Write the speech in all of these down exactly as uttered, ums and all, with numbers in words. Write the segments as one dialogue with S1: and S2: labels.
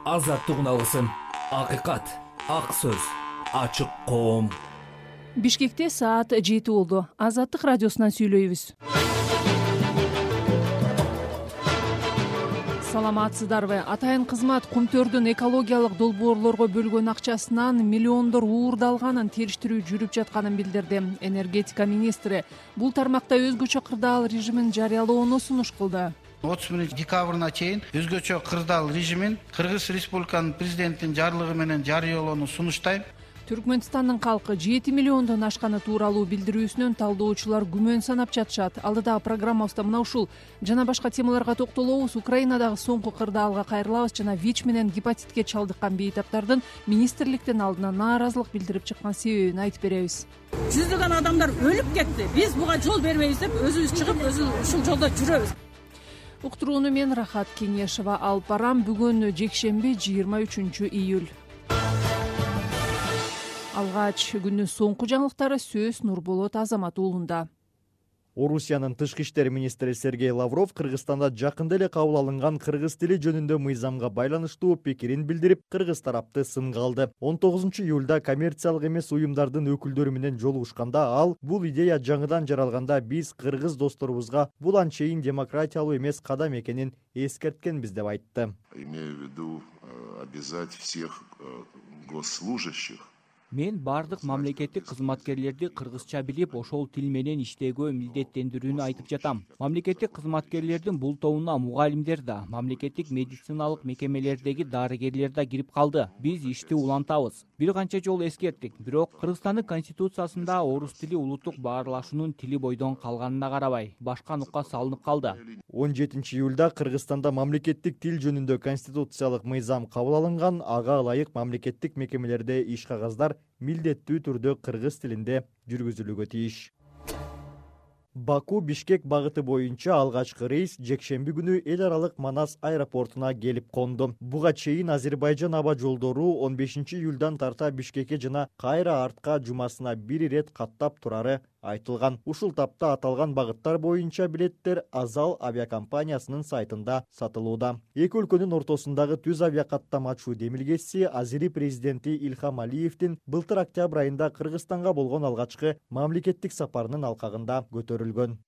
S1: азаттык үналысын, акыйкат, ак сөз, ачык коом.
S2: Бишкекте саат жети болду. Азаттык радиосунан сүйлөйбүз. Саламатсыздарбы? Атайын кызмат Кумтөрдүн экологиялык долбоорлорго бөлгөн акчасынан миллиондор уурдалганын териштирүү жүрүп жатканын билдирди. Энергетика министри бул тармакта өзгөчө кырдаал режимин жарыялоону сунуш кылды.
S3: отуз биринчи декабрына чейин өзгөчө кырдаал режимин Кыргыз Республиканын президентинин жарлыгы менен жарыялоону сунуштайм.
S2: Түркмөнстандын калкы жети миллиондон ашканы тууралуу билдирүүсүнөн талдоочулар күмөн санап жатышат. Алдыдагы программабызда мына ушул жана башка темаларга токтолобуз. Украинадагы соңку кырдаалга кайрылабыз жана ВИЧ менен гепатитке чалдыккан бейтаптардын министрликтин алдына нааразылык билдирип чыккан себебин айтып беребиз.
S4: Жүздөгөн адамдар өлүп кетти. Биз буга жол бербейбиз деп өзүбүз чыгып, өзүбүз ушул жолдо жүрөбүз.
S2: Уктурууну мен Рахат Кеңешова алып барам. Бүгүн жекшемби жыйырма үчүнчү июль. Алгач күндүн соңку жаңылыктары сөз Нурболот Азамат уулунда.
S5: Орусиянын тышкы иштер министри Сергей Лавров Кыргызстанда жакында эле кабыл алынган кыргыз тили жөнүндө мыйзамга байланыштуу пикирин билдирип, кыргыз тарапты сынга алды. он тогузунчу июлда коммерциялык эмес уюмдардын өкүлдөрү менен жолугушканда ал бул идея жаңыдан жаралганда биз кыргыз досторубузга бул анчейин демократиялуу эмес кадам экенин эскерткенбиз деп айтты.
S6: Имею в виду обязать всех госслужащих.
S7: Мен бардык мамлекеттик кызматкерлерди кыргызча билип, ошол тил менен иштөөгө милдеттендирүүнү айтып жатам. Мамлекеттик кызматкерлердин бул тобуна мугалимдер да, мамлекеттик медициналык мекемелердеги дарыгерлер да кирип калды. Биз ишти улантабыз. Бир канча жолу эскерттик, бирок Кыргызстандын конституциясында орус тили улуттук баарлашуунун тили бойдон калганына карабай, башка нукка салынып калды.
S5: он жетинчи июлда Кыргызстанда мамлекеттик тил жөнүндө конституциялык мыйзам кабыл алынган. Ага ылайык мамлекеттик мекемелерде иш кагаздар милдеттүү түрдө кыргыз тилинде жүргүзүлүүгө тийиш. Баку Бишкек багыты боюнча алгачкы рейс жекшемби күнү эл аралык Манас аэропортуна келип конду. Буга чейин Азербайжан аба жолдору он бешинчи июлдан тарта Бишкекке жана кайра артка жумасына бир ирет каттап турары айтылган. Ушул тапта аталган багыттар боюнча билеттер Азал авиакомпаниясынын сайтында сатылууда. Эки өлкөнүн ортосундагы түз авиакаттамачуу демилгеси Азери президенти Илхам Алиевдин былтыр октябрь айында Кыргызстанга болгон алгачкы мамлекеттик сапарынын алкагында көтөрүлгөн.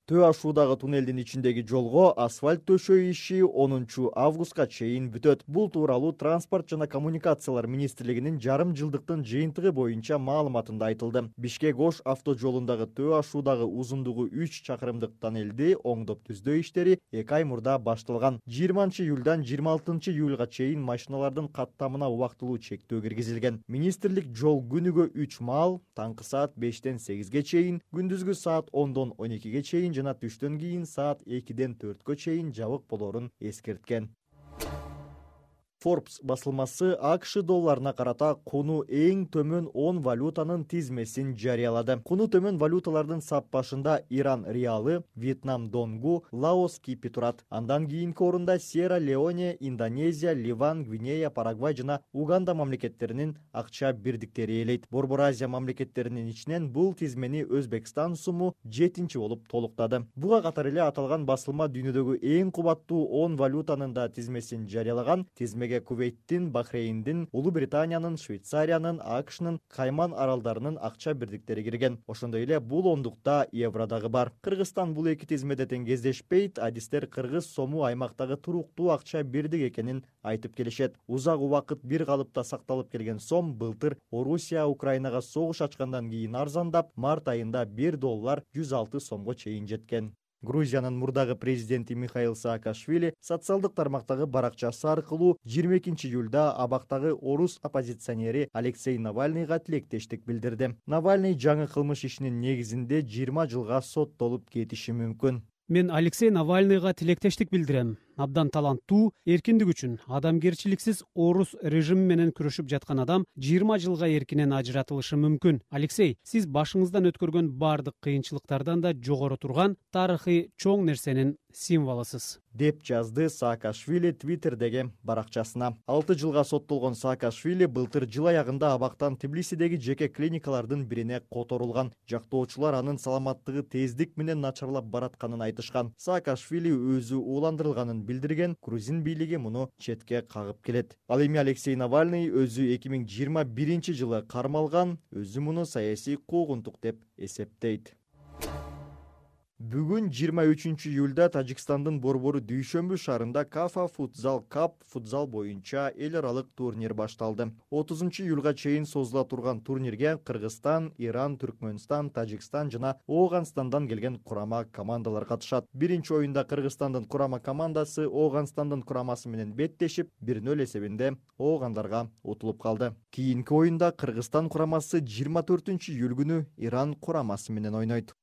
S5: Төө ашуудагы туннелдин ичиндеги жолго асфальт төшөө иши онунчу августка чейин бүтөт. Бул тууралуу Транспорт жана коммуникациялар министрлигинин жарым жылдыктын жыйынтыгы боюнча маалыматында айтылды. Бишкек-Ош авто жолундагы төө ашуудагы узундугу үч чакырымдык тоннелди оңдоп түздөө иштери эки ай мурда башталган. жыйырманчы июлдан жыйырма алтынчы июлга чейин машиналардын каттамына убактылуу чектөө киргизилген. Министрлик жол күнүгө үч маал, таңкы саат бештен сегизге чейин, күндүзгү саат ондон он экиге чейин жана түштөн кийин саат экиден төрткө чейин жабык болорун эскерткен. Forbes басылмасы АКШ долларына карата куну эң төмөн он валютанын тизмесин жарыялады. Куну төмөн валюталардын сап башында Иран реалы, Вьетнам донгу, Лаос кипи турат. Андан кийинки орунда Сьерра-Леоне, Индонезия, Ливан, Гвинея, Парагвай жана Уганда мамлекеттеринин акча бирдиктери ээлейт. Борбор Азия мамлекеттеринин ичинен бул тизмени Өзбекстан суму жетинчи болуп толуктады. Буга катар эле аталган басылма дүйнөдөгү эң кубаттуу он валютанын да тизмесин жарыялаган. Тизмеге Кувейттин, Бахрейндин, Улуу Британиянын, Швейцариянын, АКШнын, Кайман аралдарынын акча бирдиктери кирген. Ошондой эле бул ондукта евро дагы бар. Кыргызстан бул эки тизмеде тең кездешпейт. Адистер кыргыз сому аймактагы туруктуу акча бирдик экенин айтып келишет. Узак убакыт бир калыпта сакталып келген сом былтыр Орусия Украинага согуш ачкандан кийин арзандап, март айында бир доллар жүз алты сомго чейин жеткен. Грузиянын мурдагы президенти Михаил Саакашвили социалдык тармактагы баракчасы аркылуу жыйырма экинчи июлда абактагы орус оппозиционери Алексей Навальныйга тилектештик билдирди. Навальный жаңы кылмыш ишинин негизинде жыйырма жылга соттолуп кетиши мүмкүн.
S8: Мен Алексей Навальныйга тилектештик билдирем. Абдан таланттуу, эркиндик үчүн адамгерчиликсиз орус режими менен күрөшүп жаткан адам жыйырма жылга эркинен ажыратылышы мүмкүн. Алексей, сиз башыңыздан өткөргөн бардык кыйынчылыктардан да жогору турган тарыхый чоң нерсенин символусуз,
S5: деп жазды Саакашвили Твиттердеги баракчасына. алты жылга соттолгон Саакашвили былтыр жыл аягында абактан Тбилисидеги жеке клиникалардын бирине которулган. Жактоочулар анын саламаттыгы тездик менен начарлап баратканын айтышкан. Саакашвили өзү ууландырылганын билдирген грузин бийлиги муну четке кагып келет. Ал эми Алексей Навальный өзү эки миң жыйырма биринчи жылы кармалган, өзү муну саясий куугунтук деп эсептейт. Бүгүн жыйырма үчүнчү июлда Тажикстандын борбору Дүйшөмбү шаарында Кафа Futsal Cup футзал боюнча эл аралык турнир башталды. отузунчу июлга чейин созула турган турнирге Кыргызстан, Иран, Түркмөнстан, Тажикстан жана Ооганстандан келген курама командалар катышат. Биринчи оюнда Кыргызстандын курама командасы Ооганстандын курамасы менен беттешип, бир нөл эсебинде оогандарга утулуп калды. Кийинки оюнда Кыргызстан курамасы жыйырма төртүнчү июль күнү Иран курамасы менен ойнойт.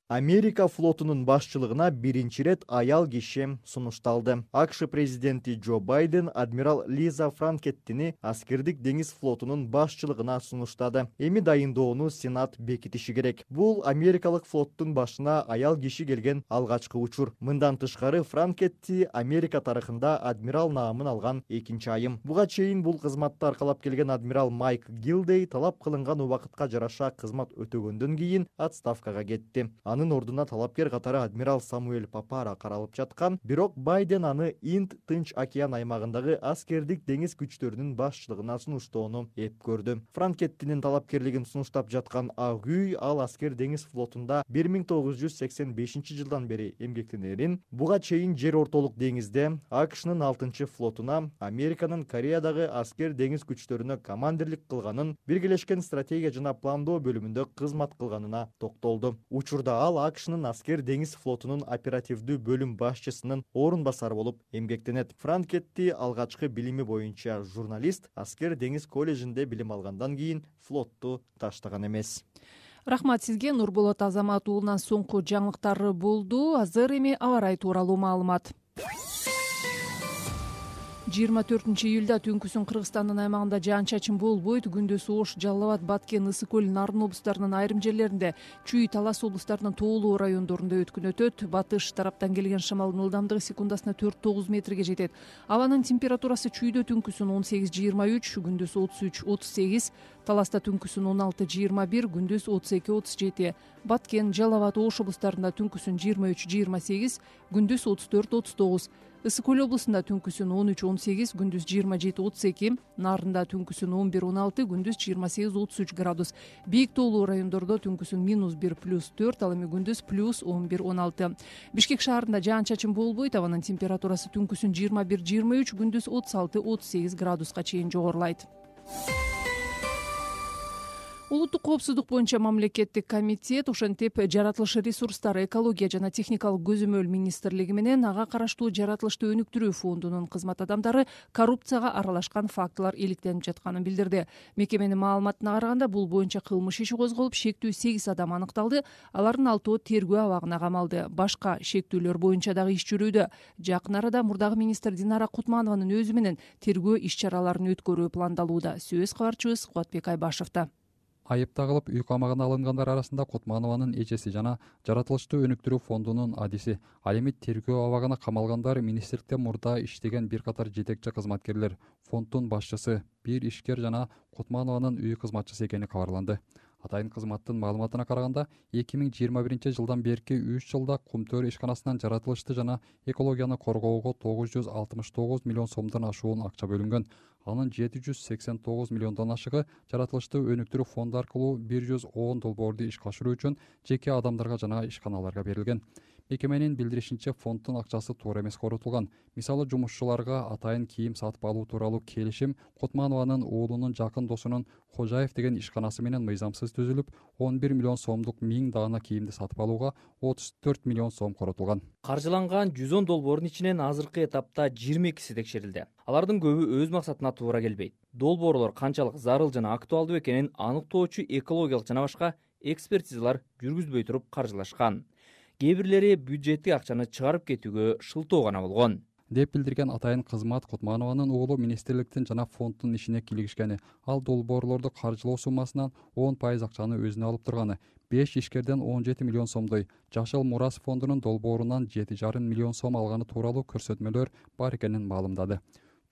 S5: Америка флотунун башчылыгына биринчи ирет аял киши сунушталды. АКШ президенти Джо Байден адмирал Лиза Франкеттини аскердик деңиз флотунун башчылыгына сунуштады. Эми дайындоону Сенат бекитиши керек. Бул америкалык флоттун башына аял киши келген алгачкы учур. Мындан тышкары Франкетти Америка тарыхында адмирал наамын алган экинчи айым. Буга чейин бул кызматты аркалап келген адмирал Майк Гилдей талап кылынган убакытка жараша кызмат өтөгөндөн кийин отставкага кетти. Анын ордуна талапкер катары адмирал Самуэль Папара каралып жаткан, бирок Байден аны Инд Тынч океан аймагындагы аскердик деңиз күчтөрүнүн башчылыгына сунуштоону эп көрдү. Франкеттинин талапкерлигин сунуштап жаткан Ак үй ал аскер деңиз флотунда бир миң тогуз жүз сексен бешинчи жылдан бери эмгектенерин, буга чейин жер ортолук деңизде АКШнын алтынчы флотуна, Американын Кореядагы аскер деңиз күчтөрүнө командирлик кылганын, биргелешкен стратегия жана пландоо бөлүмүндө кызмат кылганына токтолду. Учурда ал АКШнын аскер деңиз флотунун оперативдүү бөлүм башчысынын орун басары болуп эмгектенет. Франкетти алгачкы билими боюнча журналист, аскер деңиз коллежинде билим алгандан кийин флотту таштаган эмес.
S2: Рахмат сизге, Нурболот Азамат уулунан соңку жаңылыктар болду. Азыр эми аба ырайы тууралуу маалымат. жыйырма төртүнчү июлда түнкүсүн Кыргызстандын аймагында жаан-чачын болбойт. Күндүз Ош, Жалал Абад, Баткен, Ысык көл, Нарын облустарынын айрым жерлеринде, Чүй, Талас облустарынын тоолуу райондорунда өткүн өтөт. Батыш тараптан келген шамалдын ылдамдыгы секундасына төрт тогуз метрге жетет. Абанын температурасы Чүйдө түнкүсүн он сегиз жыйырма үч, күндүз отуз үч отуз сегиз, Таласта түнкүсүн он алты жыйырма бир, күндүз отуз эки отуз жети. Баткен, Жалал Абад, Ош облустарында түнкүсүн жыйырма үч жыйырма сегиз, күндүз отуз төрт отуз тогуз. Ысык көл облусунда түнкүсүн он үч он сегиз, күндүз жыйырма жети отуз эки, Нарында түнкүсүн он бир он алты, күндүз жыйырма сегиз отуз үч градус. Бийик тоолуу райондордо түнкүсүн минус бир плюс төрт, ал эми күндүз плюс он бир он алты. Бишкек шаарында жаан-чачын болбойт, абанын температурасы түнкүсүн жыйырма бир жыйырма үч, күндүз отуз алты отуз сегиз градуска чейин жогорулайт. Улуттук коопсуздук боюнча мамлекеттик комитет ошентип жаратылыш ресурстары, экология жана техникалык көзөмөл министрлиги менен ага караштуу жаратылышты өнүктүрүү фондунун кызмат адамдары коррупцияга аралашкан фактылар иликтенип жатканын билдирди. Мекеменин маалыматына караганда, бул боюнча кылмыш иши козголуп, шектүү сегиз адам аныкталды. Алардын алтоо тергөө абагына камалды. Башка шектүүлөр боюнча дагы иш жүрүүдө. Жакын арада мурдагы министр Динара Кутманованын өзү менен тергөө иш-чараларын өткөрүү пландалууда. Сөз кабарчыбыз Кубатбек Айбашевда.
S9: Айып тагылып үй камагына алынгандар арасында Кутманованын эжеси жана жаратылышты өнүктүрүү фондунун адиси. Ал эми тергөө абагына камалгандар министрликте мурда иштеген бир катар жетекчи кызматкерлер, фонддун башчысы, бир ишкер жана Кутманованын үй кызматчысы экени кабарланды. Атайын кызматтын маалыматына караганда, эки миң жыйырма биринчи жылдан берки үч жылда Кумтөр ишканасынан жаратылышты жана экологияны коргоого тогуз жүз алтымыш тогуз миллион сомдон ашуун акча бөлүнгөн. Анын жети жүз сексен тогуз миллиондон ашыгы жаратылышты өнүктүрүү фонду аркылуу бир жүз он долбоорду ишке ашыруу үчүн жеке адамдарга жана ишканаларга берилген. Мекеменин билдиришинче, фонддун акчасы туура эмес корутулган. Мисалы, жумушчуларга атайын кийим сатып алуу тууралуу келишим Кутманованын уулунун жакын досунун Кожаев деген ишканасы менен мыйзамсыз түзүлүп, он бир миллион сомдук миң даана кийимди сатып алууга отуз төрт миллион сом коротулган.
S10: Каржыланган жүз он долбоордун ичинен азыркы этапта жыйырма экиси текшерилди. Алардын көбү өз максатына туура келбейт. Долбоорлор канчалык зарыл жана актуалдуу экенин аныктоочу экологиялык жана башка экспертизалар жүргүзбөй туруп каржылашкан. Кээ бирлери бюджеттик акчаны чыгарып кетүүгө шылтоо гана болгон
S9: деп билдирген атайын кызмат. Кутманованын уулу министрликтин жана фонддун ишине килигишкени, ал долбоорлорду каржылоо суммасынан он пайыз акчаны өзүнө алып турганы, беш ишкерден он жети миллион сомдой Жашыл Мурас фондунун долбоорунан жети жарым миллион сом алганы тууралуу көрсөтмөлөр бар экенин маалымдады.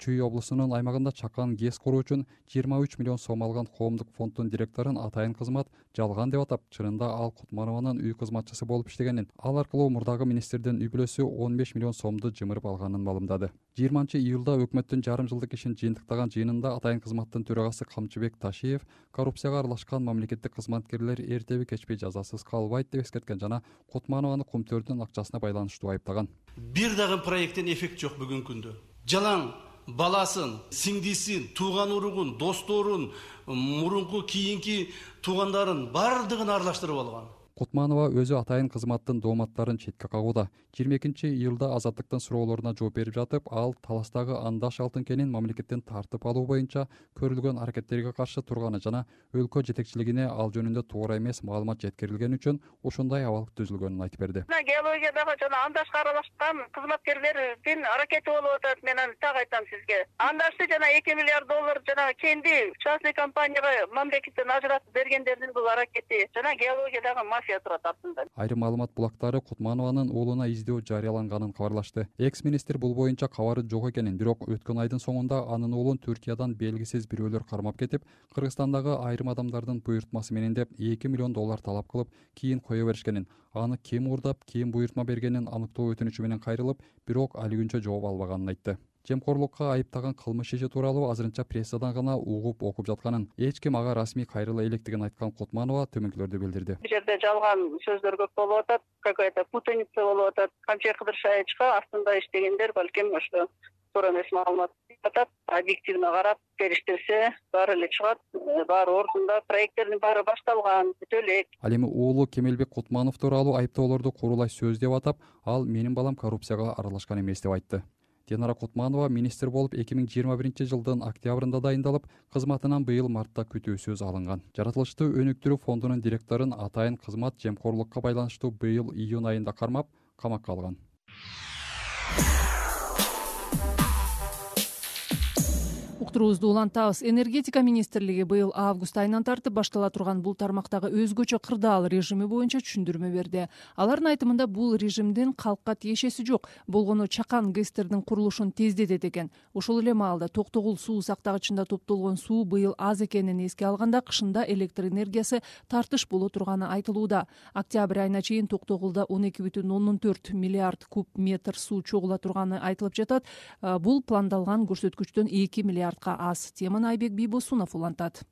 S9: Чүй облусунун аймагында чакан ГЭС куруу үчүн жыйырма үч миллион сом алган коомдук фонддун директорун Атайын кызмат жалган деп атап, чынында ал Кутманованын үй кызматчысы болуп иштегенин, ал аркылуу мурдагы министрдин үй бүлөсү он беш миллион сомду жымырып алганын маалымдады. жыйырманчы июлда өкмөттүн жарым жылдык ишин жыйынтыктаган жыйынында Атайын кызматтын төрагасы Камчыбек Ташиев коррупцияга аралашкан мамлекеттик кызматкерлер эртеби кечпей жазасыз калбайт деп эскерткен жана Кутманованы кумтөрдүн акчасына байланыштуу айыптаган.
S11: Бир дагы проекттен эффект жок бүгүнкү күндө. Жалаң баласын, сиңдисин, тууган уругун, досторун, мурунку кийинки туугандарын бардыгын аралаштырып алган.
S9: Кутманова өзү Атайын кызматтын дооматтарын четке кагууда. жыйырма экинчи июлда Азаттыктын суроолоруна жооп берип жатып, ал таластагы андаш алтын кенин мамлекеттен тартып алуу боюнча көрүлгөн аракеттерге каршы турганы жана өлкө жетекчилигине ал жөнүндө туура эмес маалымат жеткирилгени үчүн ушундай абал түзүлгөнүн айтып берди.
S12: Геологиядагы жана андашка аралашкан кызматкерлердин аракети болуп атат. Мен аны так айтам сизге. Андашты жана эки миллиард доллар жана кенди частный компанияга мамлекеттен ажыратып бергендердин бул аракети жана геологиядагы мафия турат артында.
S9: Айрым маалымат булактары Кутманованын уулуна издөө жарыяланганын кабарлашты. Экс-министр бул боюнча кабары жок экенин, бирок өткөн айдын соңунда анын уулун Түркиядан белгисиз бирөөлөр кармап кетип, Кыргызстандагы айрым адамдардын буйртмасы менен деп эки миллион доллар талап кылып, кийин кое беришкенин, аны ким уурдап, ким буйртма бергенин аныктоо өтүнүчү менен кайрылып, бирок али күнчө жооп албаганын айтты. Жемкорлукка айыптаган кылмыш иши тууралуу азырынча прессадан гана угуп окуп жатканын, эч ким ага расмий кайрыла электигин айткан Кутманова төмөнкүлөрдү билдирди.
S12: Бул жерде жалган сөздөр көп болуп атат, какая-то путаница болуп атат. Камчы Кыдыршаевичка астында иштегендер балким ошо туура эмес маалымат атат. Объективно карап териштирсе, баары эле чыгат, баары ордунда, проекттердин баары башталган, бүтө элек.
S9: Ал эми уулу Кемелбек Кутманов тууралуу айыптоолорду курулай сөз деп атап, ал менин балам коррупцияга аралашкан эмес деп айтты. Динара Кутманова министр болуп эки миң жыйырма биринчи жылдын октябрында дайындалып, кызматынан быйыл мартта күтүүсүз алынган. Жаратылыштуу өнүктүрүү фондунун директорун Атайын кызмат жемкорлукка байланыштуу быйыл июнь айында кармап, камакка алган.
S2: Уктуруубузду улантабыз. Энергетика министрлиги быйыл август айынан тартып баштала турган бул тармактагы өзгөчө кырдаал режими боюнча түшүндүрмө берди. Алардын айтымында бул режимдин калкка тиешеси жок, болгону чакан ГЭСтердин курулушун тездетет экен. Ошол эле маалда Токтогул суу сактагычында топтолгон суу быйыл аз экенин эске алганда кышында электр энергиясы тартыш боло турганы айтылууда. Октябрь айына чейин Токтогулда он эки бүтүн ондон төрт миллиард куб метр суу чогула турганы айтылып жатат. Бул пландалган көрсөткүчтөн эки миллиард аз. Теманы Айбек Бийбосунов улантат.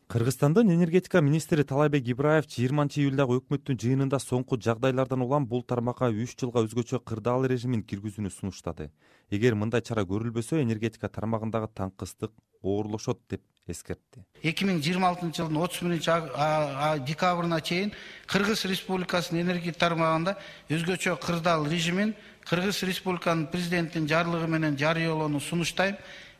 S13: Кыргызстандын энергетика министри Талайбек Ибраев жыйырманчы июлдагы өкмөттүн жыйынында соңку жагдайлардан улам бул тармакка үч жылга өзгөчө кырдаал режимин киргизүүнү сунуштады. Эгер мындай чара көрүлбөсө, энергетика тармагындагы таңкыстык оорлошот деп эскертти.
S3: эки миң жыйырма алтынчы жылдын отуз биринчи декабрына чейин Кыргыз Республикасынын энергетика тармагында өзгөчө кырдаал режимин Кыргыз Республиканын президентинин жарлыгы менен жарыялоону сунуштайм.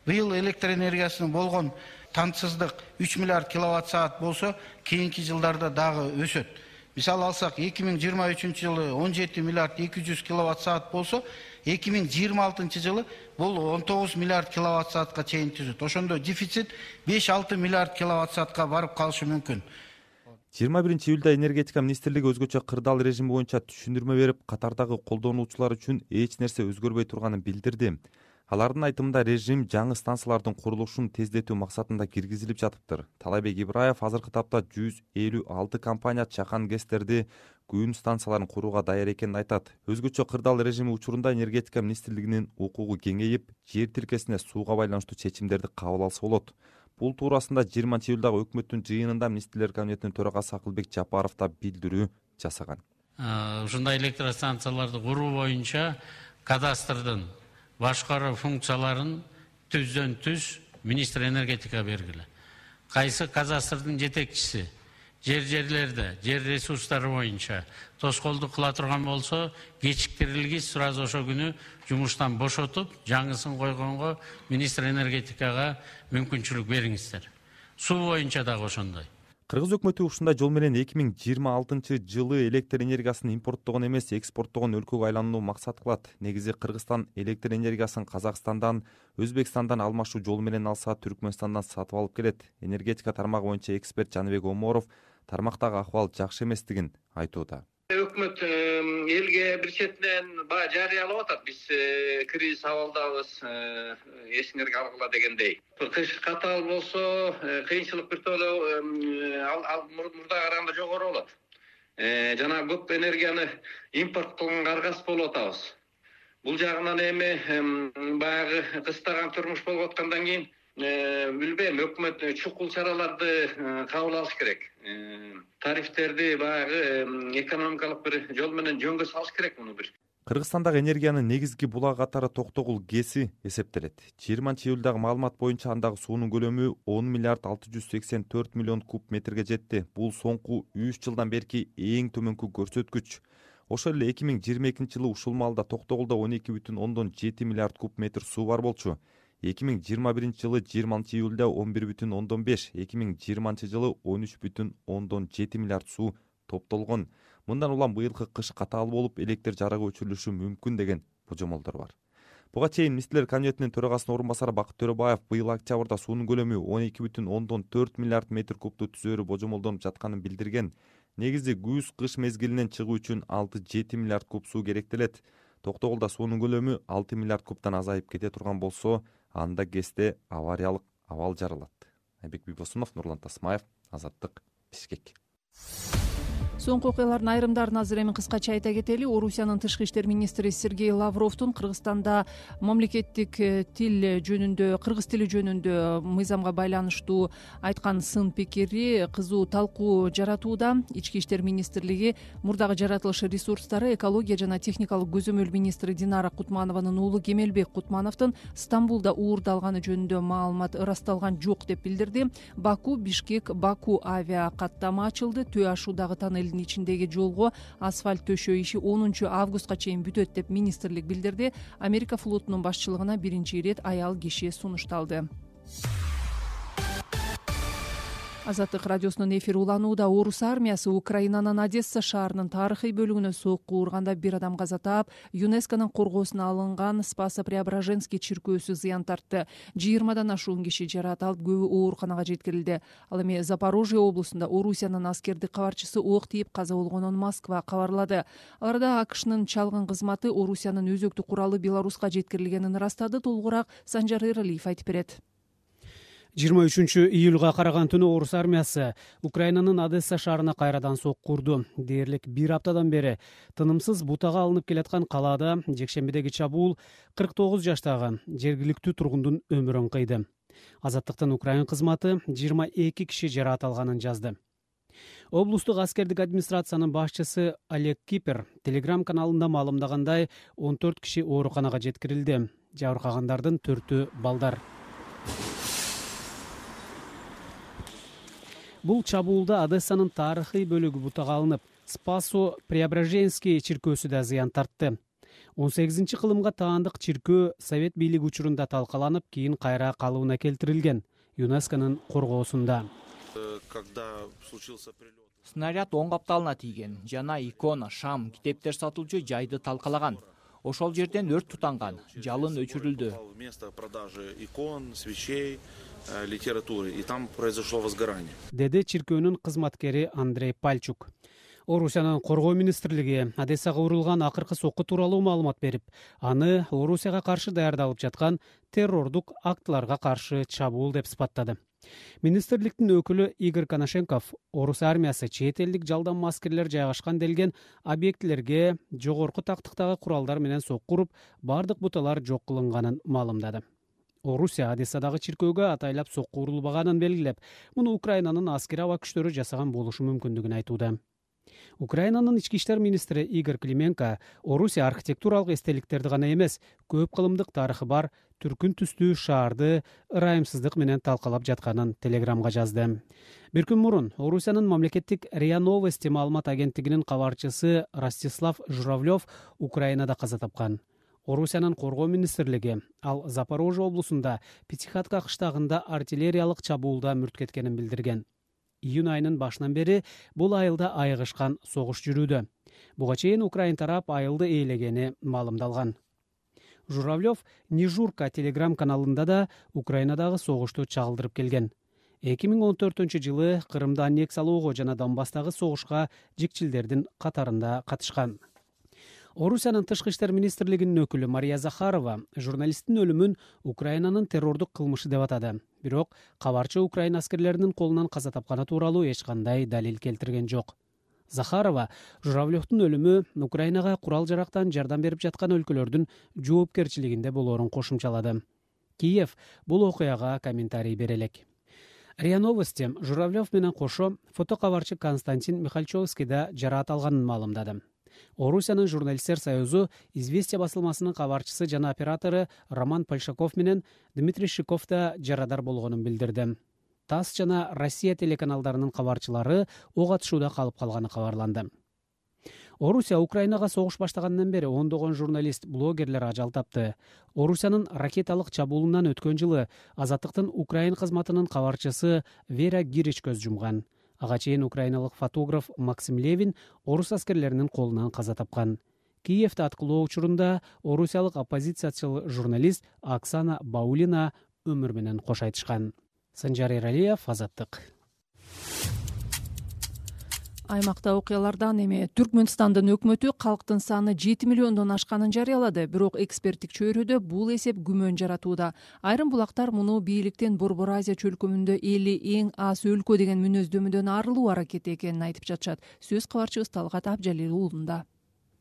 S3: Быйыл электр энергиясынын болгон тантсыздык үч миллиард киловатт саат болсо, кийинки жылдарда дагы өсөт. Мисалы алсак, эки миң жыйырма үчүнчү жылы он жети миллиард эки жүз киловатт саат болсо, эки миң жыйырма алтынчы жылы бул он тогуз миллиард киловатт саатка чейин түзөт. Ошондо дефицит беш алты миллиард киловатт саатка барып калышы мүмкүн.
S13: жыйырма биринчи июлда энергетика министрлиги өзгөчө кырдаал режими боюнча түшүндүрмө берип, катардагы колдонуучулар үчүн эч нерсе өзгөрбөй турганын билдирди. Алардын айтымында режим жаңы станциялардын курулушун тездетүү максатында киргизилип жатыптыр. Талайбек Ибраев азыркы тапта жүз элүү алты компания чакан ГЭСтерди күн станцияларын курууга даяр экенин айтат. Өзгөчө кырдаал режими учурунда энергетика министрлигинин укугу кеңейип, жер тилкесине сууга байланыштуу чечимдерди кабыл алса болот. Бул туурасында жыйырманчы июлдагы өкмөттүн жыйынында министрлер кабинетинин төрагасы Акылбек Жапаров да билдирүү жасаган.
S14: Ушундай электростанцияларды куруу боюнча кадастрдын башкаруу функцияларын түздөн түз министр энергетика бергиле. Кайсы кадастрдын жетекчиси жер жерлерде, жер ресурстары боюнча тоскоолдук кыла турган болсо, кечиктирилгис сразу ошо күнү жумуштан бошотуп, жаңысын койгонго министр энергетикага мүмкүнчүлүк бериңиздер. Суу боюнча дагы ошондой.
S13: Кыргыз өкмөтү ушундай жол менен эки миң жыйырма алтынчы жылы электр энергиясын импорттогон эмес, экспорттогон өлкөгө айланууну максат кылат. Негизи Кыргызстан электр энергиясын Казакстандан, Өзбекстандан алмашуу жолу менен алса, Түркмөнстандан сатып алып келет. Энергетика тармагы боюнча эксперт Жаныбек Оморов тармактагы акыбал жакшы эместигин айтууда.
S15: Өкмөт элге бир четинен баягы жарыялап атат. Биз кризис абалдабыз, эсиңерге алгыла дегендей. Кыш катаал болсо, кыйынчылык бир толо ал мурдага караганда жогору болот. Жана көп энергияны импорт кылганга аргасыз болуп атабыз. Бул жагынан эми баягы кыстаган турмуш болуп аткандан кийин билбейм, өкмөт чукул чараларды кабыл алыш керек. Тарифтерди баягы экономикалык бир жол менен жөнгө салыш керек муну бир.
S13: Кыргызстандагы энергиянын негизги булак катары Токтогул ГЭСи эсептелет. жыйырманчы июлдагы маалымат боюнча андагы суунун көлөмү он миллиард алты жүз сексен төрт миллион куб метрге жетти. Бул соңку үч жылдан берки эң төмөнкү көрсөткүч. Ошол эле эки миң жыйырма экинчи жылы ушул маалда Токтогулда он эки бүтүн ондон жети миллиард куб метр суу бар болчу. эки миң жыйырма биринчи жылы жыйырманчы июлда он бир бүтүн ондон беш, эки миң жыйырманчы жылы он үч бүтүн ондон жети миллиард суу топтолгон. Мындан улам быйылкы кыш катаал болуп, электр жарыгы өчүрүлүшү мүмкүн деген божомолдор бар. Буга чейин Министрлер кабинетинин төрагасынын орун басары Бакыт Төрөбаев быйыл октябрда суунун көлөмү он эки бүтүн ондон төрт миллиард метр кубту түзөөрү божомолдонуп жатканын билдирген. Негизи күз-кыш мезгилинен чыгуу үчүн алты жети миллиард куб суу керектелет. Токтогулда суунун көлөмү алты миллиард кубтан азайып кете турган болсо, анда ГЭСте авариялык абал жарылат. Айбек Бибосунов, Нурлан Тасмаев, Азаттык, Бишкек.
S2: Соңку окуялардын айрымдарын азыр эми кыскача айта кетели. Орусиянын тышкы иштер министри Сергей Лавровдун Кыргызстанда мамлекеттик тил жөнүндө, кыргыз тили жөнүндө мыйзамга байланыштуу айткан сын пикири кызуу талкуу жаратууда. Ички иштер министрлиги мурдагы жаратылыш ресурстары экология жана техникалык көзөмөл министри Динара Кутманованын уулу Кемелбек Кутмановдун Стамбулда уурдалганы жөнүндө маалымат ырасталган жок деп билдирди. Баку Бишкек Баку авиа каттама ачылды. Төө ашуудагы тоннелдин ичиндеги жолго асфальт төшөө иши онунчу августка чейин бүтөт деп министрлик билдирди. Америка флотунун башчылыгына биринчи ирет аял киши сунушталды. Азаттык радиосунун эфири уланууда. Орус армиясы Украинанын Одесса шаарынын тарыхый бөлүгүнө сокку урганда бир адам каза таап, ЮНЕСКОнун коргоосуна алынган Спасо-Преображенский чиркөөсү зыян тартты. жыйырмадан ашуун киши жаракат алып, көбү ооруканага жеткирилди. Ал эми Запорожье облусунда Орусиянын аскердик кабарчысы ок тийип каза болгонун Москва кабарлады. Аларда АКШнын чалгын кызматы Орусиянын өзөктү куралы Беларуска жеткирилгенин ырастады. Толугураак Санжар Эралиев айтып берет.
S8: жыйырма үчүнчү июлга караган түнү Орус армиясы Украинанын Одесса шаарына кайрадан сокку урду. Дээрлик бир аптадан бери тынымсыз бутага алынып келаткан калаада жекшембидеги чабуул кырк тогуз жаштагы жергиликтүү тургундун өмүрүн кыйды. Азаттыктын Украин кызматы жыйырма эки киши жаракат алганын жазды. Облустук аскердик администрациянын башчысы Олег Кипер Телеграм каналында маалымдагандай, он төрт киши ооруканага жеткирилди. Жабыркагандардын төртү балдар. Бул чабуулда Одессанын тарыхый бөлүгү бутага алынып, Спасо-Преображенский чиркөөсү да зыян тартты. он сегизинчи кылымга таандык чиркөө Совет бийлиги учурунда талкаланып, кийин кайра калыбына келтирилген ЮНЕСКонун коргоосунда.
S7: Снаряд оң капталына тийген, жана икона, шам, китептер сатылчу жайды талкалаган. Ошол жерден өрт тутанган, жалын өчүрүлдү.
S16: Литературы, и там произошло возгорание.
S8: Деди чиркөөнүн кызматкери Андрей Пальчук. Орусиянын коргоо министрлиги Одессага урулган акыркы сокку тууралуу маалымат берип, аны Орусияга каршы даярдалып жаткан террордук актыларга каршы чабуул деп сыпаттады. Министрликтин өкүлү Игорь Коношенков Орус армиясы чет элдик жалданма аскерлер жайгашкан делген объектилерге жогорку тактыктагы куралдар менен сокку уруп, бардык буталар жок кылынганын маалымдады. Орусия Одессадагы чиркөөгө атайлап сокку урулбаганын белгилеп, муну Украинанын аскери аба күчтөрү жасаган болушу мүмкүндүгүн айтууда. Украинанын ички иштер министри Игорь Клименко Орусия архитектуралык эстеликтерди гана эмес, көп кылымдык тарыхы бар түркүн түстүү шаарды ырайымсыздык менен талкалап жатканын Телеграмга жазды. Бир күн мурун Орусиянын мамлекеттик РИА Новости маалымат агенттигинин кабарчысы Ростислав Журавлев Украинада каза тапкан. Орусиянын коргоо министрлиги ал Запорожье облусунда Пятихатка кыштагында артиллериялык чабуулда мүрт кеткенин билдирген. Июнь айынын башынан бери бул айылда айыгышкан согуш жүрүүдө. Буга чейин Украин тарап айылды ээлегени маалымдалган. Журавлев Нижурка телеграм каналында да Украинадагы согушту чагылдырып келген. эки миң он төртүнчү жылы Кырымды аннексиялоого жана Донбасстагы согушка жикчилдердин катарында катышкан. Орусиянын тышкы иштер министрлигинин өкүлү Мария Захарова журналисттин өлүмүн Украинанын террордук кылмышы деп атады. Бирок кабарчы Украина аскерлеринин колунан каза тапканы тууралуу эч кандай далил келтирген жок. Захарова Журавлевдун өлүмү Украинага курал жарактан жардам берип жаткан өлкөлөрдүн жоопкерчилигинде болоорун кошумчалады. Киев бул окуяга комментарий бере элек. РИА Новости Журавлев менен кошо фотокабарчы Константин Михальчовский да жараат алганын маалымдады. Орусиянын журналисттер союзу Известия басылмасынын кабарчысы жана оператору Роман Польшаков менен Дмитрий Шиков да жарадар болгонун билдирди. ТАСС жана Россия телеканалдарынын кабарчылары ок атышууда калып калганы кабарланды. Орусия Украинага согуш баштагандан бери ондогон журналист, блогерлер ажал тапты. Орусиянын ракеталык чабуулунан өткөн жылы Азаттыктын Украин кызматынын кабарчысы Вера Гирич көз жумган. Ага чейин украиналык фотограф Максим Левин орус аскерлеринин колунан каза тапкан. Киевде аткылоо учурунда орусиялык оппозициячыл журналист Оксана Баулина өмүр менен кош айтышкан. Санжар Эралиев, Азаттык.
S2: Аймакта окуялардан эми Түркмөнстандын өкмөтү калктын саны жети миллиондон ашканын жарыялады, бирок эксперттик чөйрөдө бул эсеп күмөн жаратууда. Айрым булактар муну бийликтин Борбор Азия чөлкөмүндө эли эң аз өлкө деген мүнөздөмөдөн арылуу аракети экенин айтып жатышат. Сөз кабарчыбыз Талгат Абжалил уулунда.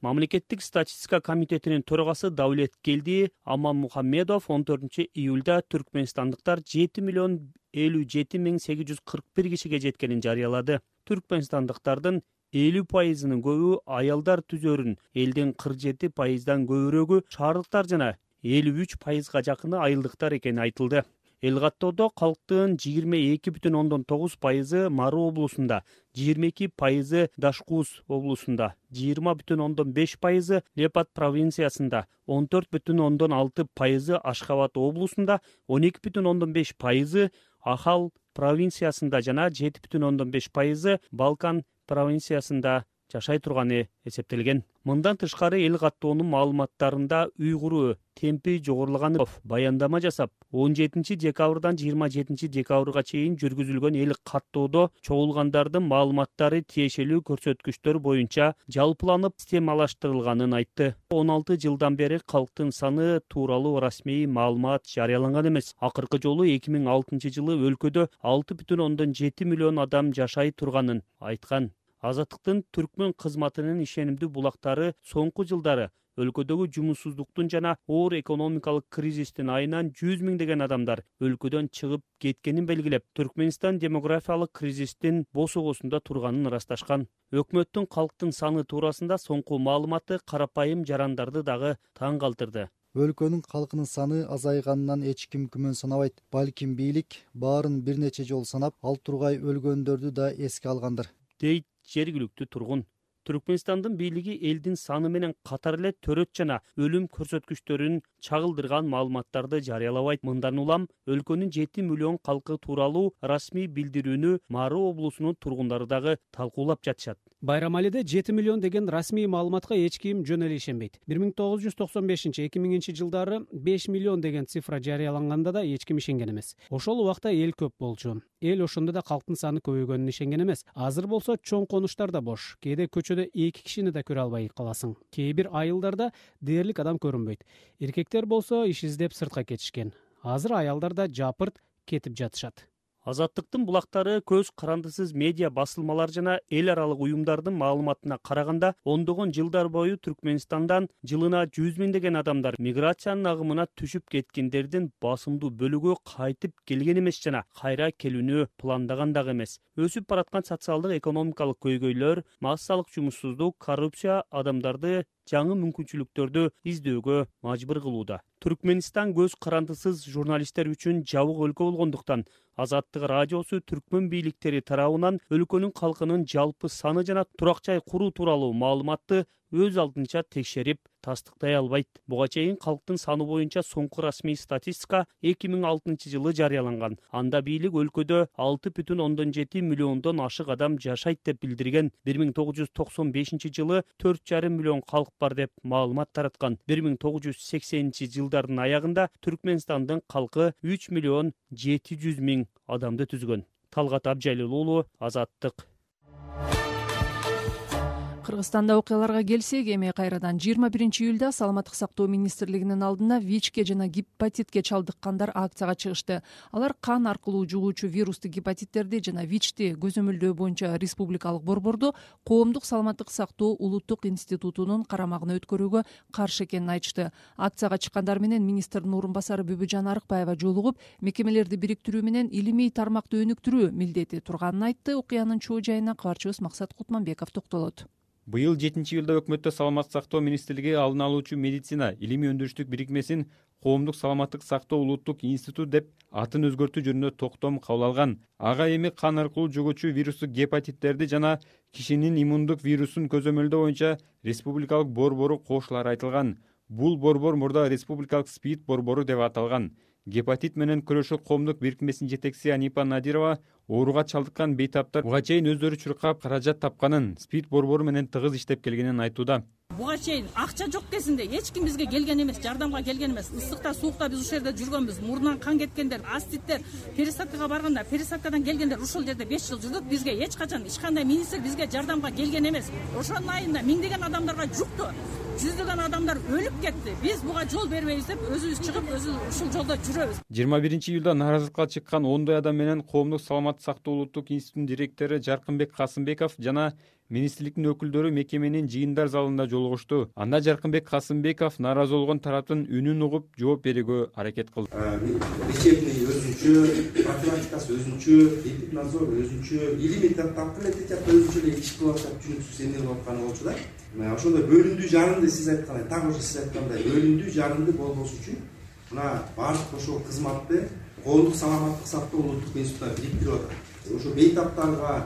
S17: Мамлекеттик статистика комитетинин төрагасы Даулет Келди Аман Мухаммедов он төртүнчү июлда түркмөнстандыктар жети миллион элүү жети миң сегиз жүз кырк бир кишиге жеткенин жарыялады. Түркмөнстандыктардын элүү пайызынын көбү аялдар түзөрүн, элдин кырк жети пайыздан көбүрөгү шаардыктар жана элүү үч пайызга жакыны айылдыктар экени айтылды. Эл каттоодо калктын жыйырма эки бүтүн ондон тогуз пайызы Мары облусунда, жыйырма эки пайызы Дашкуз облусунда, жыйырма бүтүн ондон беш пайызы Лепат провинциясында, он төрт бүтүн ондон алты пайызы Ашхабад облусунда, он эки бүтүн ондон беш пайызы Ахал провинциясында жана жети бүтүн ондон беш пайызы Балкан провинциясында жашай турганы эсептелген. Мындан тышкары эл каттоонун маалыматтарында уйгуру темпи жогорулаганов баяндама жасап, он жетинчи декабрдан жыйырма жетинчи декабрга чейин жүргүзүлгөн эл каттоодо чогулгандардын маалыматтары тиешелүү көрсөткүчтөр боюнча жалпыланып системалаштырылганын айтты. он алты жылдан бери калктын саны тууралуу расмий маалымат жарыяланган эмес. Акыркы жолу эки миң алтынчы жылы өлкөдө алты бүтүн ондон жети миллион адам жашай турганын айткан. Азаттыктын түркмөн кызматынын ишенимдүү булактары соңку жылдары өлкөдөгү жумушсуздуктун жана оор экономикалык кризистин айынан жүз миңдеген адамдар өлкөдөн чыгып кеткенин белгилеп, Түркмөнстан демографиялык кризистин босогосунда турганын ырасташкан. Өкмөттүн калктын саны туурасында соңку маалыматы карапайым жарандарды дагы таң калтырды.
S18: Өлкөнүн калкынын саны азайганынан эч ким күмөн санабайт. Балким бийлик баарын бир нече жолу санап, ал тургай өлгөндөрдү да эске алгандыр,
S17: дейт жергиликтүү тургун. Түркмөнстандын бийлиги элдин саны менен катар эле төрөт жана өлүм көрсөткүчтөрүн чагылдырган маалыматтарды жарыялабайт. Мындан улам өлкөнүн жети миллион калкы тууралуу расмий билдирүүнү Мары облусунун тургундары дагы талкуулап жатышат.
S8: Байрамалиде жети миллион деген расмий маалыматка эч ким жөн эле ишенбейт. бир миң тогуз жүз токсон бешинчи эки миңинчи жылдары беш миллион деген цифра жарыяланганда да эч ким ишенген эмес. Ошол убакта эл көп болчу. Эл ошондо да калктын саны көбөйгөнүнө ишенген эмес. Азыр болсо чоң конуштар да бош. Кээде көчөдө эки кишини да көрө албай каласың. Кээ бир айылдарда дээрлик адам көрүнбөйт. Эркектер болсо иш издеп сыртка кетишкен. Азыр аялдар да жапырт кетип жатышат.
S17: Азаттыктын булактары көз карандысыз медиа басылмалар жана эл аралык уюмдардын маалыматына караганда ондогон жылдар бою Түркмөнстандан жылына жүз миңдеген адамдар миграциянын агымына түшүп кеткендердин басымдуу бөлүгү кайтып келген эмес жана кайра келүүнү пландаган дагы эмес. Өсүп бараткан социалдык экономикалык көйгөйлөр, массалык жумушсуздук, коррупция адамдарды жаңы мүмкүнчүлүктөрдү издөөгө мажбур кылууда. Түркмөнстан көз карандысыз журналисттер үчүн жабык өлкө болгондуктан Азаттык радиосу түркмөн бийликтери тарабынан өлкөнүн калкынын жалпы саны жана турак жай куруу тууралуу маалыматты өз алдынча текшерип тастыктай албайт. Буга чейин калктын саны боюнча соңку расмий статистика эки миң алтынчы жылы жарыяланган. Анда бийлик өлкөдө алты бүтүн ондон жети миллиондон ашык адам жашайт деп билдирген. бир миң тогуз жүз токсон бешинчи жылы төрт жарым миллион калк бар деп маалымат тараткан. бир миң тогуз жүз сексенинчи жылдардын аягында Түркмөнстандын калкы үч миллион жети жүз миң адамды түзгөн. Талгат Абжалил уулу, Азаттык.
S2: Кыргызстанда окуяларга келсек, эми кайрадан жыйырма биринчи июлда саламаттык сактоо министрлигинин алдына ВИЧке жана гепатитке чалдыккандар акцияга чыгышты. Алар кан аркылуу жугуучу вирустук гепатиттерди жана ВИЧти көзөмөлдөө боюнча республикалык борборду коомдук саламаттык сактоо улуттук институтунун карамагына өткөрүүгө каршы экенин айтышты. Акцияга чыккандар менен министрдин орун басары Бүбүжан Арыкбаева жолугуп, мекемелерди бириктирүү менен илимий тармакты өнүктүрүү милдети турганын айтты. Окуянын чоо жайына кабарчыбыз Максат Кутманбеков токтолот.
S19: Быйыл жетинчи июлда өкмөттө саламаттык сактоо министрлиги алдын алуучу медицина илимий өндүрүштүк бирикмесин коомдук саламаттык сактоо улуттук институт деп атын өзгөртүү жөнүндө токтом кабыл алган. Ага эми кан аркылуу жугуучу вирустук гепатиттерди жана кишинин иммундук вирусун көзөмөлдөө боюнча республикалык борбору кошулары айтылган. Бул борбор мурда республикалык СПИД борбору деп аталган. Гепатит менен күрөшүү коомдук бирикмесинин жетекчиси Анипа Надирова ооруга чалдыккан бейтаптар буга чейин өздөрү чуркап каражат тапканын, СПИД борбору менен тыгыз иштеп келгенин айтууда.
S4: Буга чейин акча жок кезинде эч ким бизге келген эмес, жардамга келген эмес. Ысыкта, суукта биз ушул жерде жүргөнбүз. Мурунан кан кеткендер, аститтер, пересадкага барганда, пересадкадан келгендер ушул жерде беш жыл жүрдүк. Бизге эч качан эч кандай министр бизге жардамга келген эмес. Ошонун айында миңдеген адамдарга жукту. Жүздөгөн адамдар өлүп кетти. Биз буга жол бербейбиз деп өзүбүз чыгып, өзүбүз ушул жолдо жүрөбүз.
S19: жыйырма биринчи июлда нааразылыкка чыккан ондой адам менен коомдук саламаттык сактоо улуттук институтунун директору Жаркынбек Касымбеков жана министрликтин өкүлдөрү мекеменин жыйындар залында жолугушту. Анда Жаркынбек Касымбеков нааразы болгон тараптын үнүн угуп жооп берүүгө аракет кылды.
S20: Лечебный өзүнчө, профилактикасы өзүнчө, эпиднадзор өзүнчө, илимий таптын өзүнчө эле иш кылып атат, түшүнүксүз эмне болуп атканы болчу да. Ошондой бөлүндүү жарынды сиз айткандай, так ошо сиз айткандай бөлүндүү жарынды болбош үчүн мына баардык ошол кызматты коомдук саламаттык сактоо улуттук институтуна бириктирип атат. Ошо бейтаптарга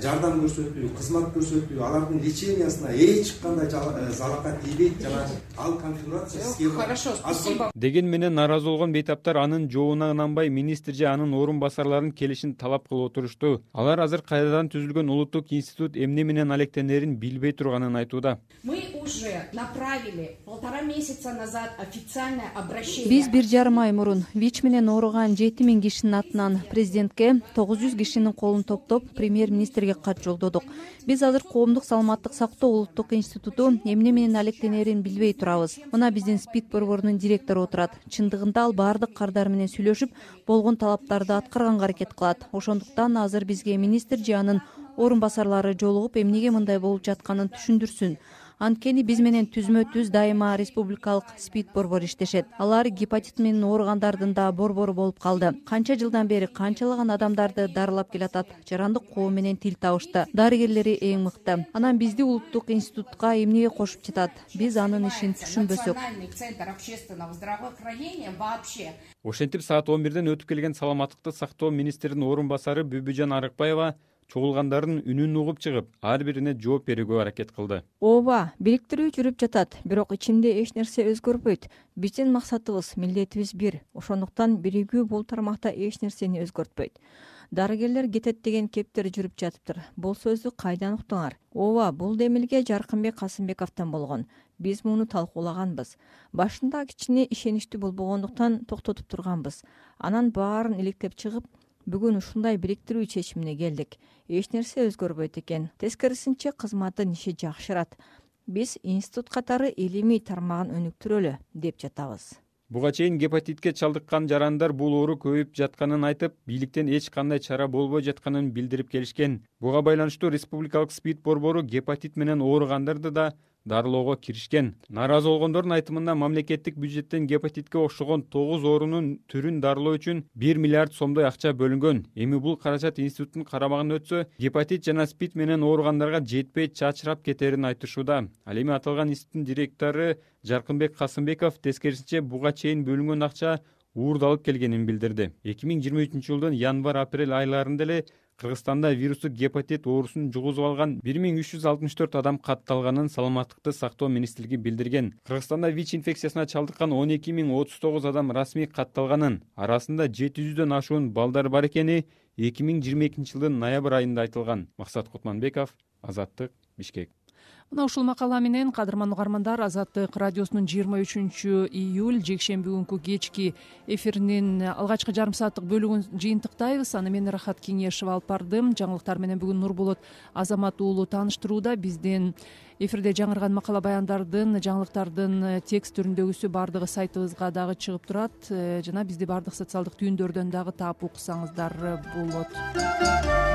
S20: жардам көрсөтүү, кызмат көрсөтүү, алардын лечениясына эч кандай залака тийбейт жана ал конфигурация схема.
S21: Хорошо, спасибо.
S19: Деген менен нааразы болгон бейтаптар анын жообуна ынанбай министр же анын орун басарларынын келишин талап кылып отурушту. Алар азыр кайрадан түзүлгөн улуттук институт эмне менен алектенерин билбей турганын айтууда.
S21: Мы уже направили полтора месяца назад официальное обращение.
S22: Биз бир жарым ай мурун ВИЧ менен ооруган жети миң кишинин атынан президентке тогуз жүз кишинин колун топтоп премьер-министр кат жолдодук. Биз азыр коомдук саламаттык сактоо улуттук институту эмне менен алектенерин билбей турабыз. Мына биздин СПИД борборунун директору отурат. Чындыгында ал баардык кардар менен сүйлөшүп, болгон талаптарды аткарганга аракет кылат. Ошондуктан азыр бизге министр же анын орун басарлары жолугуп, эмнеге мындай болуп жатканын түшүндүрсүн. Анткени биз менен түзмө-түз дайыма республикалык СПИД борбору иштешет. Алар гепатит менен ооругандардын да борбору болуп калды. Канча жылдан бери канчалаган адамдарды дарылап келатат. Жарандык коом менен тил табышты. Дарыгерлери эң мыкты. Анан бизди улуттук институтка эмнеге кошуп жатат? Биз анын ишин түшүнбөсөк.
S19: Ошентип саат он бирден өтүп келген саламаттыкты сактоо министринин орун басары Бүбүжан Арыкбаева чогулгандардын үнүн угуп чыгып, ар бирине жооп берүүгө аракет кылды.
S22: Ооба, бириктирүү жүрүп жатат, бирок ичинде эч нерсе өзгөрбөйт. Биздин максатыбыз, милдетибиз бир. Ошондуктан биригүү бул тармакта эч нерсени өзгөртпөйт. Дарыгерлер кетет деген кептер жүрүп жатыптыр. Бул сөздү кайдан уктуңар? Ооба, бул демилге Жаркынбек Касымбековдон болгон. Биз муну талкуулаганбыз. Башында кичине ишеничтүү болбогондуктан токтотуп турганбыз. Анан баарын иликтеп чыгып, бүгүн ушундай бириктирүү чечимине келдик. Эч нерсе өзгөрбөйт экен. Тескерисинче кызматтын иши жакшырат. Биз институт катары илимий тармагын өнүктүрөлү деп жатабыз.
S19: Буга чейин гепатитке чалдыккан жарандар бул оору көбөйүп жатканын айтып, бийликтен эч кандай чара болбой жатканын билдирип келишкен. Буга байланыштуу республикалык СПИД борбору гепатит менен ооругандарды да дарылоого киришкен. Нааразы болгондордун айтымында мамлекеттик бюджеттен гепатитке окшогон тогуз оорунун түрүн дарылоо үчүн бир миллиард сомдой акча бөлүнгөн. Эми бул каражат институттун карамагына өтсө, гепатит жана СПИД менен ооругандарга жетпей чачырап кетерин айтышууда. Ал эми аталган институттун директору Жаркынбек Касымбеков тескерисинче буга чейин бөлүнгөн акча уурдалып келгенин билдирди. эки миң жыйырма үчүнчү жылдын январь-апрель айларында эле Кыргызстанда вирустук гепатит оорусун жугузуп алган бир миң үч жүз алтымыш төрт адам катталганын саламаттыкты сактоо министрлиги билдирген. Кыргызстанда ВИЧ инфекциясына чалдыккан он эки миң отуз тогуз адам расмий катталганын, арасында жети жүздөн ашуун балдар бар экени эки миң жыйырма экинчи жылдын ноябрь айында айтылган. Максат Кутманбеков, Азаттык, Бишкек.
S2: мына ушул макала менен кадырман угармандар, Азаттык радиосунун жыйырма үчүнчү июль жекшемби күнкү кечки эфиринин алгачкы жарым сааттык бөлүгүн жыйынтыктайбыз. Аны мен Рахат Кеңешева алып бардым. Жаңылыктар менен бүгүн Нурболот Азамат уулу тааныштырууда. Биздин эфирде жаңырган макала баяндардын, жаңылыктардын текст түрүндөгүсү баардыгы сайтыбызга дагы чыгып турат, жана бизди баардык социалдык түйүндөрдөн дагы таап уксаңыздар болот.